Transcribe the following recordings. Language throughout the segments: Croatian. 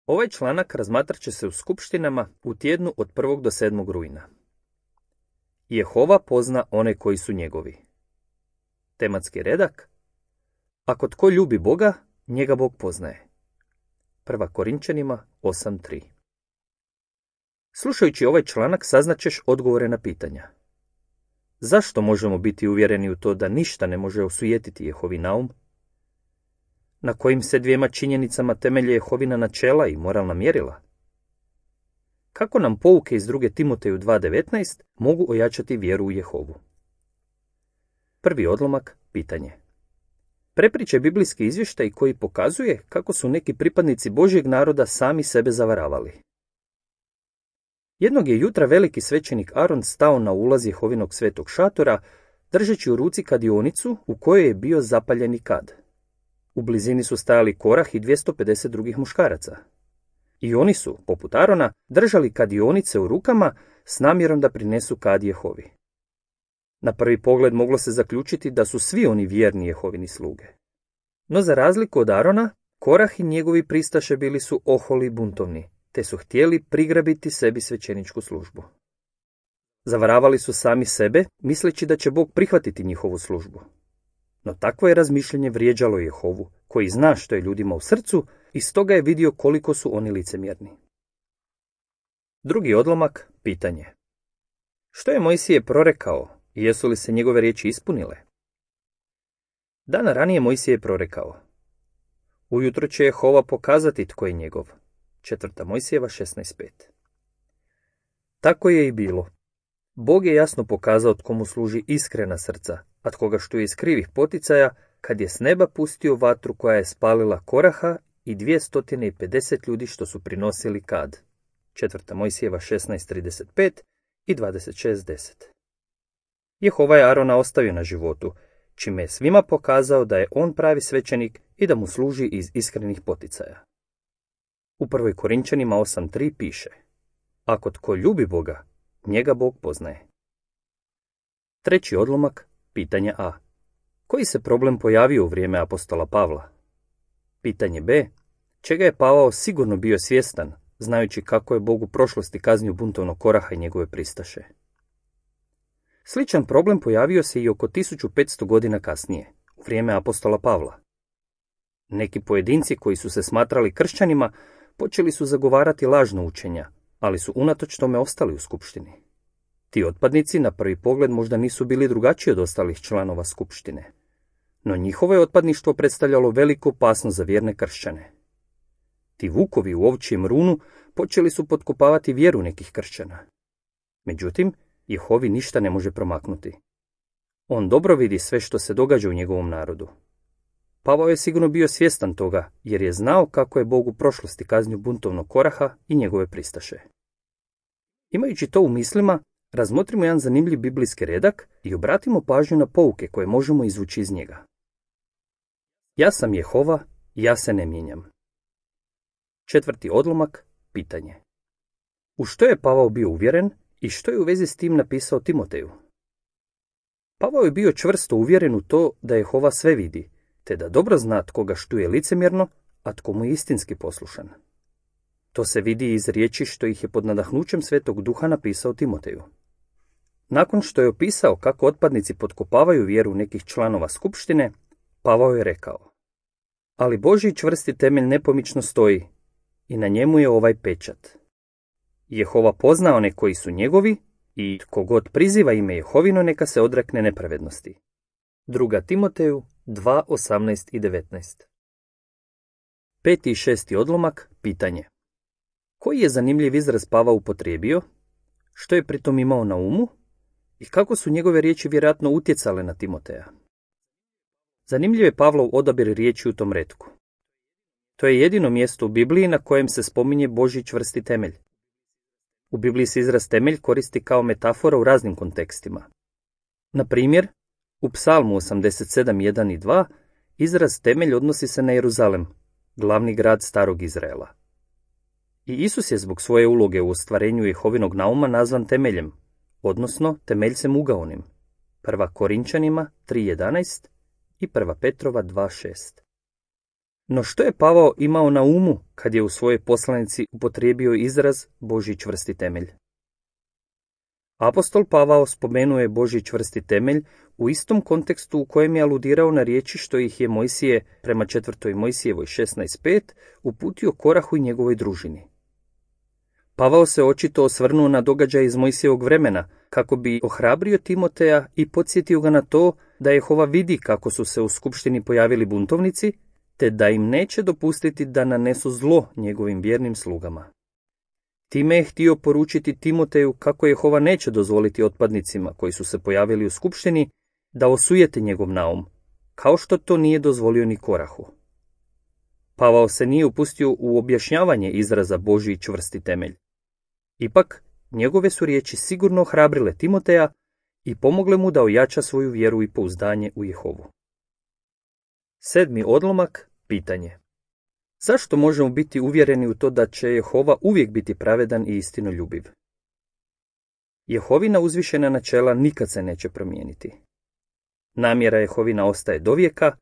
Ovaj članak razmatrat će se u skupštinama u tjednu od 1. do 7. rujna. Jehova pozna one koji su njegovi. Tematski redak: ako tko ljubi Boga, njega Bog poznaje. 1. Korinčanima 8.3. Slušajući ovaj članak saznaćeš odgovore na pitanja. Zašto možemo biti uvjereni u to da ništa ne može osujetiti Jehovi naum? Na kojim se dvijema činjenicama temelje Jehovina načela i moralna mjerila? Kako nam pouke iz 2. Timoteju 2.19 mogu ojačati vjeru u Jehovu? Prvi odlomak, pitanje. Prepričaj biblijski izvještaj koji pokazuje kako su neki pripadnici Božjeg naroda sami sebe zavaravali. Jednog je jutra veliki svećenik Aron stao na ulaz Jehovinog svetog šatora, držeći u ruci kadionicu u kojoj je bio zapaljeni kad. U blizini su stajali Korah i 250 drugih muškaraca. I oni su, poput Arona, držali kadionice u rukama s namjerom da prinesu kad Jehovi. Na prvi pogled moglo se zaključiti da su svi oni vjerni Jehovini sluge. No za razliku od Arona, Korah i njegovi pristaše bili su oholi i buntovni, te su htjeli prigrabiti sebi svećeničku službu. Zavaravali su sami sebe, misleći da će Bog prihvatiti njihovu službu. No takvo je razmišljanje vrijeđalo Jehovu, koji zna što je ljudima u srcu i stoga je vidio koliko su oni licemjerni. Drugi odlomak, pitanje. Što je Mojsije prorekao i jesu li se njegove riječi ispunile? Dana ranije Mojsije je prorekao: ujutro će Jehova pokazati tko je njegov. 4. Mojsijeva 16.5. Tako je i bilo. Bog je jasno pokazao tko mu služi iskrena srca, a tko ga štuje iz krivih poticaja, kad je s neba pustio vatru koja je spalila Koraha i 250 ljudi što su prinosili kad. 4. Mojsijeva 16.35 i 26.10. Jehova je Arona ostavio na životu, čime je svima pokazao da je on pravi svećenik i da mu služi iz iskrenih poticaja. U 1. Korinčanima 8.3 piše: ako tko ljubi Boga, njega Bog poznaje. Treći odlomak, pitanje A. Koji se problem pojavio u vrijeme apostola Pavla? Pitanje B. Čega je Pavao sigurno bio svjestan, znajući kako je Bog u prošlosti kaznio buntovnog Koraha i njegove pristaše? Sličan problem pojavio se i oko 1500 godina kasnije, u vrijeme apostola Pavla. Neki pojedinci koji su se smatrali kršćanima počeli su zagovarati lažna učenja, ali su unatoč tome ostali u skupštini. Ti otpadnici na prvi pogled možda nisu bili drugačiji od ostalih članova skupštine, no njihovo je otpadništvo predstavljalo veliku opasnost za vjerne kršćane. Ti vukovi u ovčijem runu počeli su potkopavati vjeru nekih kršćana. Međutim, Jehovi ništa ne može promaknuti. On dobro vidi sve što se događa u njegovom narodu. Pavao je sigurno bio svjestan toga, jer je znao kako je Bog u prošlosti kaznio buntovnog Koraha i njegove pristaše. Imajući to u mislima, razmotrimo jedan zanimljiv biblijski redak i obratimo pažnju na pouke koje možemo izvući iz njega. Ja sam Jehova, ja se ne mijenjam. Četvrti odlomak, pitanje. U što je Pavao bio uvjeren i što je u vezi s tim napisao Timoteju? Pavao je bio čvrsto uvjeren u to da Jehova sve vidi, te da dobro zna tko ga štuje licemjerno, a tko mu je istinski poslušan. To se vidi iz riječi što ih je pod nadahnućem Svetog Duha napisao Timoteju. Nakon što je opisao kako otpadnici potkopavaju vjeru nekih članova skupštine, Pavao je rekao: ali Božji čvrsti temelj nepomično stoji i na njemu je ovaj pečat. Jehova pozna one koji su njegovi i tko god priziva ime Jehovino neka se odrekne nepravednosti. 2. Timoteju 2.18 i 19. 5. i 6. odlomak, pitanje. Koji je zanimljiv izraz Pavao upotrijebio? Što je pritom imao na umu? I kako su njegove riječi vjerojatno utjecale na Timoteja? Zanimljiv je Pavlov odabir riječi u tom retku. To je jedino mjesto u Bibliji na kojem se spominje Božji čvrsti temelj. U Bibliji se izraz temelj koristi kao metafora u raznim kontekstima. Na primjer, u Psalmu 87.1 i 2 izraz temelj odnosi se na Jeruzalem, glavni grad starog Izraela. I Isus je zbog svoje uloge u ostvarenju Jehovinog nauma nazvan temeljem, odnosno temeljcem ugaonim. 1. Korinčanima 3.11 i 1. Petrova 2.6. No što je Pavao imao na umu kad je u svojoj poslanici upotrijebio izraz Božji čvrsti temelj? Apostol Pavao spomenuo je Božji čvrsti temelj u istom kontekstu u kojem je aludirao na riječi što ih je Mojsije prema 4. Mojsijevoj 16.5 uputio Korahu i njegovoj družini. Pavao se očito osvrnuo na događaj iz Mojsijevog vremena kako bi ohrabrio Timoteja i podsjetio ga na to da Jehova vidi kako su se u skupštini pojavili buntovnici, te da im neće dopustiti da nanesu zlo njegovim vjernim slugama. Time je htio poručiti Timoteju kako Jehova neće dozvoliti otpadnicima koji su se pojavili u skupštini da osujete njegov naum, kao što to nije dozvolio ni Korahu. Pavao se nije upustio u objašnjavanje izraza Božji čvrsti temelj. Ipak, njegove su riječi sigurno ohrabrile Timoteja i pomogle mu da ojača svoju vjeru i pouzdanje u Jehovu. 7. odlomak, pitanje. Zašto možemo biti uvjereni u to da će Jehova uvijek biti pravedan i istinoljubiv? Jehovina uzvišena načela nikad se neće promijeniti. Namjera Jehovina ostaje dovijeka,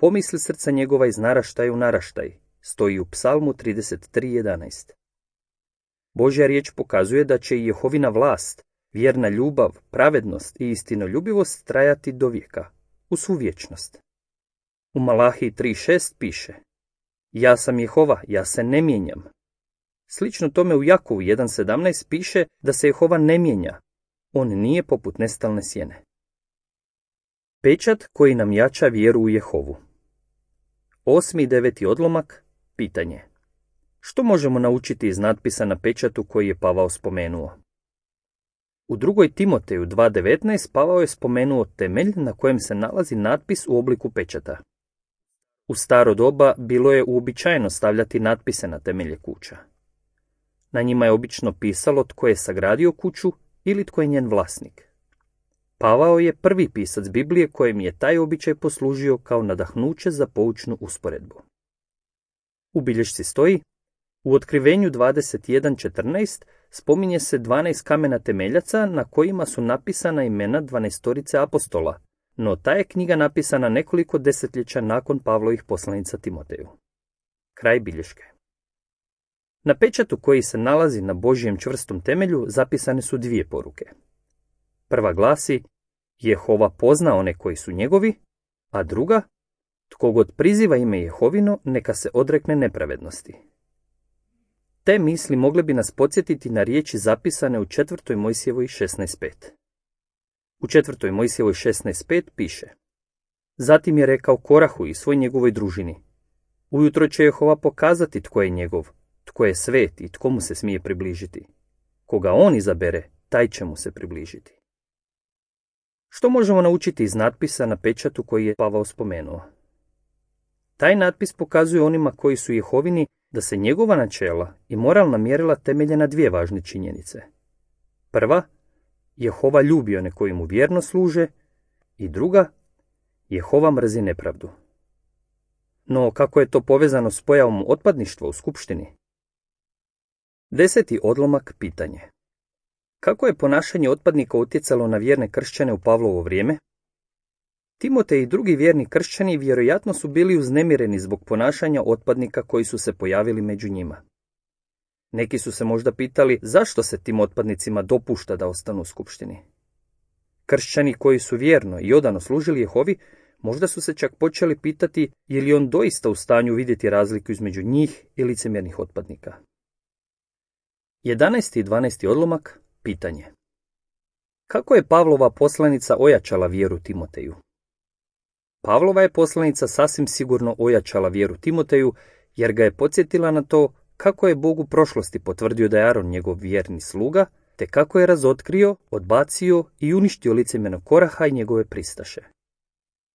pomisli srca njegova iz naraštaja u naraštaj, stoji u Psalmu 33.11. Božja riječ pokazuje da će i Jehovina vlast, vjerna ljubav, pravednost i istinoljubivost trajati dovijeka, u svu vječnost. U Malahiji 3.6 piše: Ja sam Jehova, ja se ne mijenjam. Slično tome u Jakovu 1.17 piše da se Jehova ne mijenja, on nije poput nestalne sjene. Pečat koji nam jača vjeru u Jehovu. 8. i 9. odlomak, pitanje. Što možemo naučiti iz natpisa na pečatu koji je Pavao spomenuo? U 2. Timoteju 2.19 Pavao je spomenuo temelj na kojem se nalazi natpis u obliku pečata. U staro doba bilo je uobičajeno stavljati natpise na temelje kuća. Na njima je obično pisalo tko je sagradio kuću ili tko je njen vlasnik. Pavao je prvi pisac Biblije kojem je taj običaj poslužio kao nadahnuće za poučnu usporedbu. U bilješci stoji: u Otkrivenju 21.14 spominje se 12 kamena temeljaca na kojima su napisana imena 12 apostola, no ta je knjiga napisana nekoliko desetljeća nakon Pavlovih poslanica Timoteju. Kraj bilješke. Na pečatu koji se nalazi na Božjem čvrstom temelju zapisane su dvije poruke. Prva glasi: Jehova pozna one koji su njegovi, a druga: tko god priziva ime Jehovino, neka se odrekne nepravednosti. Te misli mogle bi nas podsjetiti na riječi zapisane u 4. Mojsijevoj 16.5. U 4. Mojsijevoj 16.5 piše: Zatim je rekao Korahu i svoj njegovoj družini: Ujutro će Jehova pokazati tko je njegov, tko je svet i tko mu se smije približiti. Koga on izabere, taj će mu se približiti. Što možemo naučiti iz natpisa na pečatu koji je Pavao spomenuo? Taj natpis pokazuje onima koji su Jehovini da se njegova načela i moralna mjerila temelje na dvije važne činjenice. Prva, Jehova ljubi one koji mu vjerno služe, i druga, Jehova mrzi nepravdu. No kako je to povezano s pojavom otpadništva u skupštini? 10. odlomak, pitanje. Kako je ponašanje otpadnika utjecalo na vjerne kršćane u Pavlovo vrijeme? Timotej i drugi vjerni kršćani vjerojatno su bili uznemireni zbog ponašanja otpadnika koji su se pojavili među njima. Neki su se možda pitali zašto se tim otpadnicima dopušta da ostanu u skupštini. Kršćani koji su vjerno i odano služili Jehovi možda su se čak počeli pitati je li on doista u stanju vidjeti razliku između njih i licemjernih otpadnika. 11. i 12. odlomak, pitanje. Kako je Pavlova poslanica ojačala vjeru Timoteju? Pavlova je poslanica sasvim sigurno ojačala vjeru Timoteju, jer ga je podsjetila na to kako je Bog u prošlosti potvrdio da je Aron njegov vjerni sluga, te kako je razotkrio, odbacio i uništio licemjernog Koraha i njegove pristaše.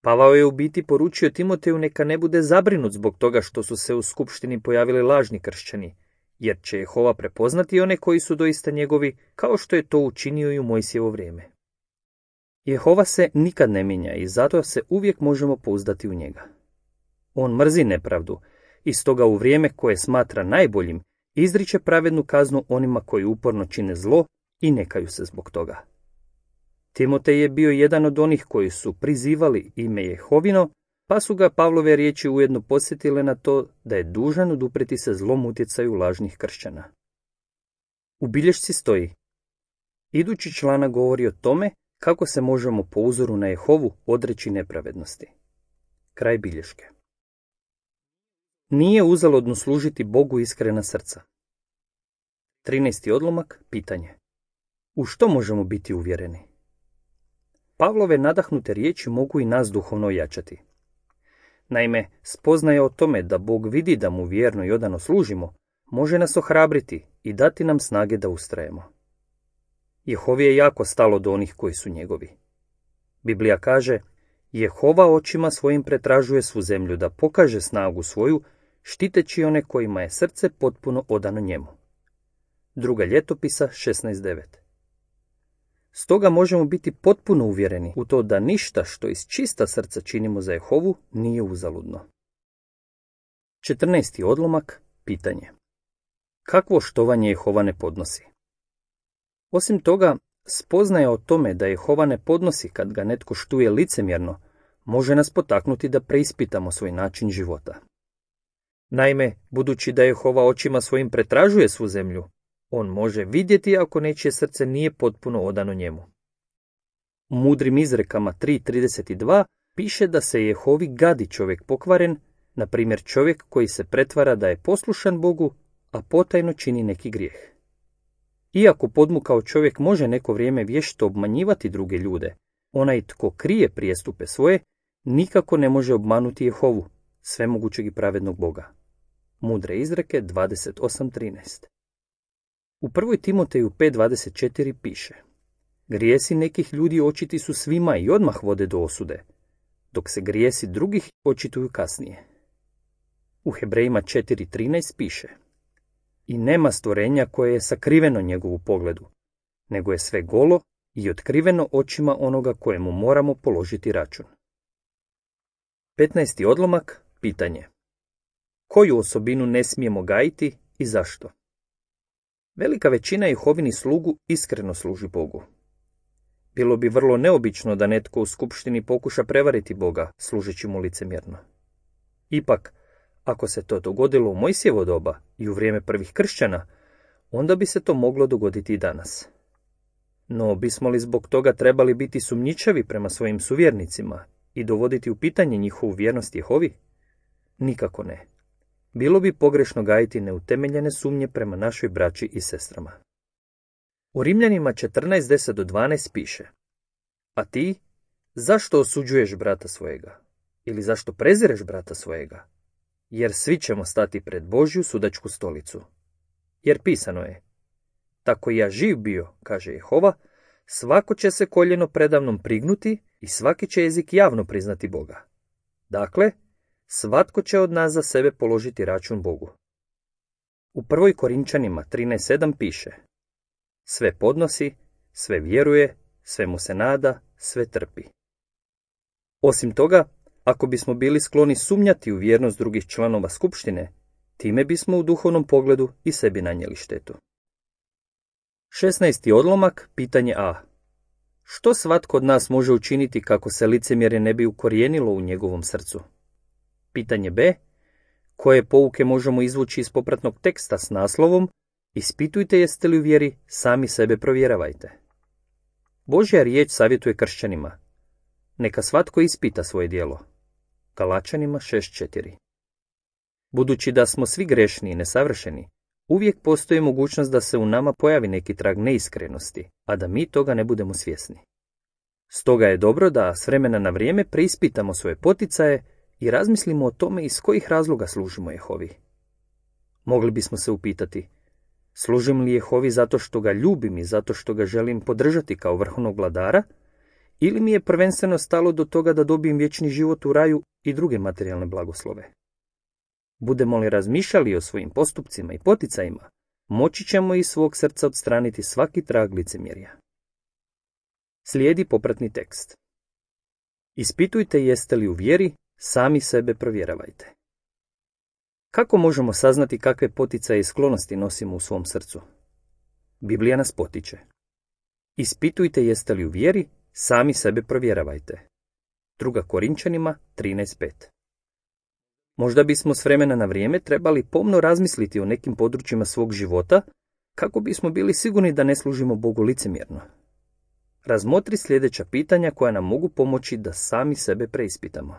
Pavao je u biti poručio Timoteju neka ne bude zabrinut zbog toga što su se u skupštini pojavili lažni kršćani, jer će Jehova prepoznati one koji su doista njegovi, kao što je to učinio i u Mojsijevo vrijeme. Jehova se nikad ne mijenja i zato se uvijek možemo pouzdati u njega. On mrzi nepravdu i stoga u vrijeme koje smatra najboljim izriče pravednu kaznu onima koji uporno čine zlo i ne kaju se zbog toga. Timotej je bio jedan od onih koji su prizivali ime Jehovino, pa su ga Pavlove riječi ujedno podsjetile na to da je dužan odupreti se zlom utjecaju lažnih kršćana. U bilješci stoji: idući članak govori o tome kako se možemo po uzoru na Jehovu odreći nepravednosti. Kraj bilješke. Nije uzaludno služiti Bogu iskrena srca. 13. odlomak, pitanje. U što možemo biti uvjereni? Pavlove nadahnute riječi mogu i nas duhovno ojačati. Naime, spoznaja o tome da Bog vidi da mu vjerno i odano služimo, može nas ohrabriti i dati nam snage da ustrajemo. Jehovi je jako stalo do onih koji su njegovi. Biblija kaže: Jehova očima svojim pretražuje svu zemlju da pokaže snagu svoju, štiteći one kojima je srce potpuno odano njemu. Druga ljetopisa 16.9. Stoga možemo biti potpuno uvjereni u to da ništa što iz čista srca činimo za Jehovu nije uzaludno. 14. odlomak, pitanje. Kakvo štovanje Jehova ne podnosi? Osim toga, spoznaja o tome da Jehova ne podnosi kad ga netko štuje licemjerno, može nas potaknuti da preispitamo svoj način života. Naime, budući da Jehova očima svojim pretražuje svu zemlju, on može vidjeti ako nečije srce nije potpuno odano njemu. U mudrim izrekama 3.32 piše da se Jehovi gadi čovjek pokvaren, na primjer čovjek koji se pretvara da je poslušan Bogu, a potajno čini neki grijeh. Iako podmukao čovjek može neko vrijeme vješto obmanjivati druge ljude, onaj tko krije prijestupe svoje, nikako ne može obmanuti Jehovu, svemogućeg i pravednog Boga. Mudre izreke 28.13. U 1. Timoteju 5.24 piše: grijesi nekih ljudi očiti su svima i odmah vode do osude, dok se grijesi drugih očituju kasnije. U Hebrejima 4.13 piše: i nema stvorenja koje je sakriveno njegovu pogledu, nego je sve golo i otkriveno očima onoga kojemu moramo položiti račun. 15. odlomak, pitanje. Koju osobinu ne smijemo gajiti i zašto? Velika većina Jehovinih slugu iskreno služi Bogu. Bilo bi vrlo neobično da netko u skupštini pokuša prevariti Boga, služeći mu licemjerno. Ipak, ako se to dogodilo u Mojsijevo doba i u vrijeme prvih kršćana, onda bi se to moglo dogoditi i danas. No, bismo li zbog toga trebali biti sumnjičavi prema svojim suvjernicima i dovoditi u pitanje njihovu vjernost Jehovi? Nikako ne. Bilo bi pogrešno gajiti neutemeljene sumnje prema našoj braći i sestrama. U Rimljanima 14.10-12 piše: a ti, zašto osuđuješ brata svojega? Ili zašto prezireš brata svojega? Jer svi ćemo stati pred Božju sudačku stolicu. Jer pisano je: tako ja živ bio, kaže Jehova, svako će se koljeno predamnom prignuti i svaki će jezik javno priznati Boga. Dakle, svatko će od nas za sebe položiti račun Bogu. U 1. Korinčanima 13.7 piše: sve podnosi, sve vjeruje, sve mu se nada, sve trpi. Osim toga, ako bismo bili skloni sumnjati u vjernost drugih članova skupštine, time bismo u duhovnom pogledu i sebi nanijeli štetu. 16. odlomak, pitanje A. Što svatko od nas može učiniti kako se licemjerje ne bi ukorijenilo u njegovom srcu? Pitanje B. Koje pouke možemo izvući iz popratnog teksta s naslovom ispitujte jeste li u vjeri, sami sebe provjeravajte. Božja riječ savjetuje kršćanima: neka svatko ispita svoje djelo. Galačanima 6.4. Budući da smo svi grešni i nesavršeni, uvijek postoji mogućnost da se u nama pojavi neki trag neiskrenosti, a da mi toga ne budemo svjesni. Stoga je dobro da s vremena na vrijeme preispitamo svoje poticaje i razmislimo o tome iz kojih razloga služimo Jehovi. Mogli bismo se upitati: služim li Jehovi zato što ga ljubim i zato što ga želim podržati kao vrhovnog vladara, ili mi je prvenstveno stalo do toga da dobijem vječni život u raju i druge materijalne blagoslove? Budemo li razmišljali o svojim postupcima i poticajima, moći ćemo iz svog srca odstraniti svaki trag licemjerja. Slijedi popratni tekst. Ispitujte jeste li u vjeri, sami sebe provjeravajte. Kako možemo saznati kakve poticaje i sklonosti nosimo u svom srcu? Biblija nas potiče: ispitujte jeste li u vjeri, sami sebe provjeravajte. 2. Korinčanima 13.5. Možda bismo s vremena na vrijeme trebali pomno razmisliti o nekim područjima svog života, kako bismo bili sigurni da ne služimo Bogu licemjerno. Razmotri sljedeća pitanja koja nam mogu pomoći da sami sebe preispitamo.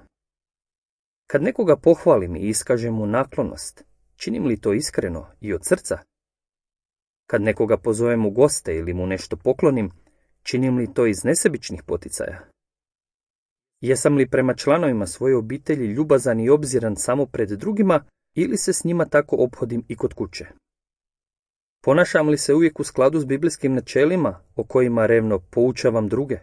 Kad nekoga pohvalim i iskažem mu naklonost, činim li to iskreno i od srca? Kad nekoga pozovem u goste ili mu nešto poklonim, činim li to iz nesebičnih poticaja? Jesam li prema članovima svoje obitelji ljubazan i obziran samo pred drugima ili se s njima tako ophodim i kod kuće? Ponašam li se uvijek u skladu s biblijskim načelima o kojima revno poučavam druge?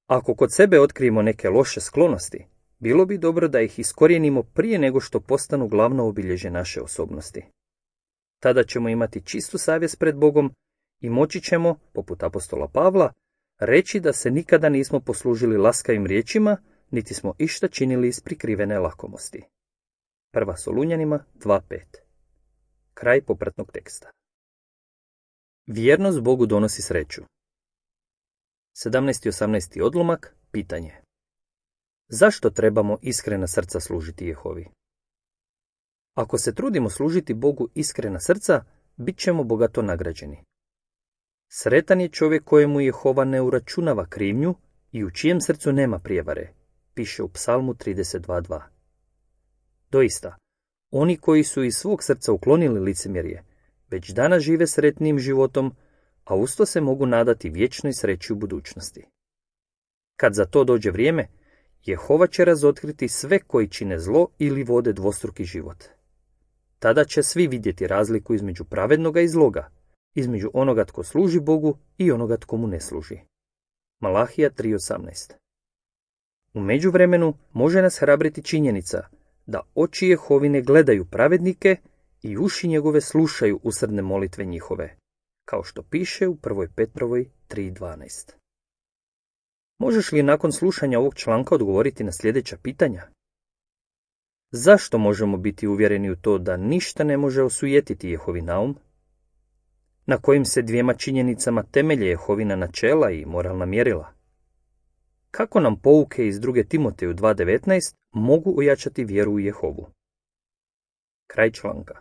Ako kod sebe otkrijemo neke loše sklonosti, bilo bi dobro da ih iskorijenimo prije nego što postanu glavno obilježje naše osobnosti. Tada ćemo imati čistu savjest pred Bogom i moći ćemo, poput apostola Pavla, reći da se nikada nismo poslužili laskavim riječima, niti smo išta činili iz prikrivene lakomosti. 1. Solunjanima 2.5. Kraj popratnog teksta. Vjernost Bogu donosi sreću. 17. i 18. odlomak, pitanje. Zašto trebamo iskrena srca služiti Jehovi? Ako se trudimo služiti Bogu iskrena srca, bit ćemo bogato nagrađeni. Sretan je čovjek kojemu Jehova ne uračunava krivnju i u čijem srcu nema prijevare, piše u Psalmu 32.2. Doista, oni koji su iz svog srca uklonili licemjerje, već danas žive sretnim životom, a usto se mogu nadati vječnoj sreći u budućnosti. Kad za to dođe vrijeme, Jehova će razotkriti sve koji čine zlo ili vode dvostruki život. Tada će svi vidjeti razliku između pravednoga i zloga, između onoga tko služi Bogu i onoga tko mu ne služi. Malahija 3.18. U međuvremenu može nas hrabriti činjenica da oči Jehovine gledaju pravednike i uši njegove slušaju usrdne molitve njihove, kao što piše u 1. Petrovoj 3.12. Možeš li nakon slušanja ovog članka odgovoriti na sljedeća pitanja? Zašto možemo biti uvjereni u to da ništa ne može osujetiti Jehovin naum? Na kojim se dvijema činjenicama temelje Jehovina načela i moralna mjerila? Kako nam pouke iz 2. Timoteju 2.19 mogu ojačati vjeru u Jehovu? Kraj članka.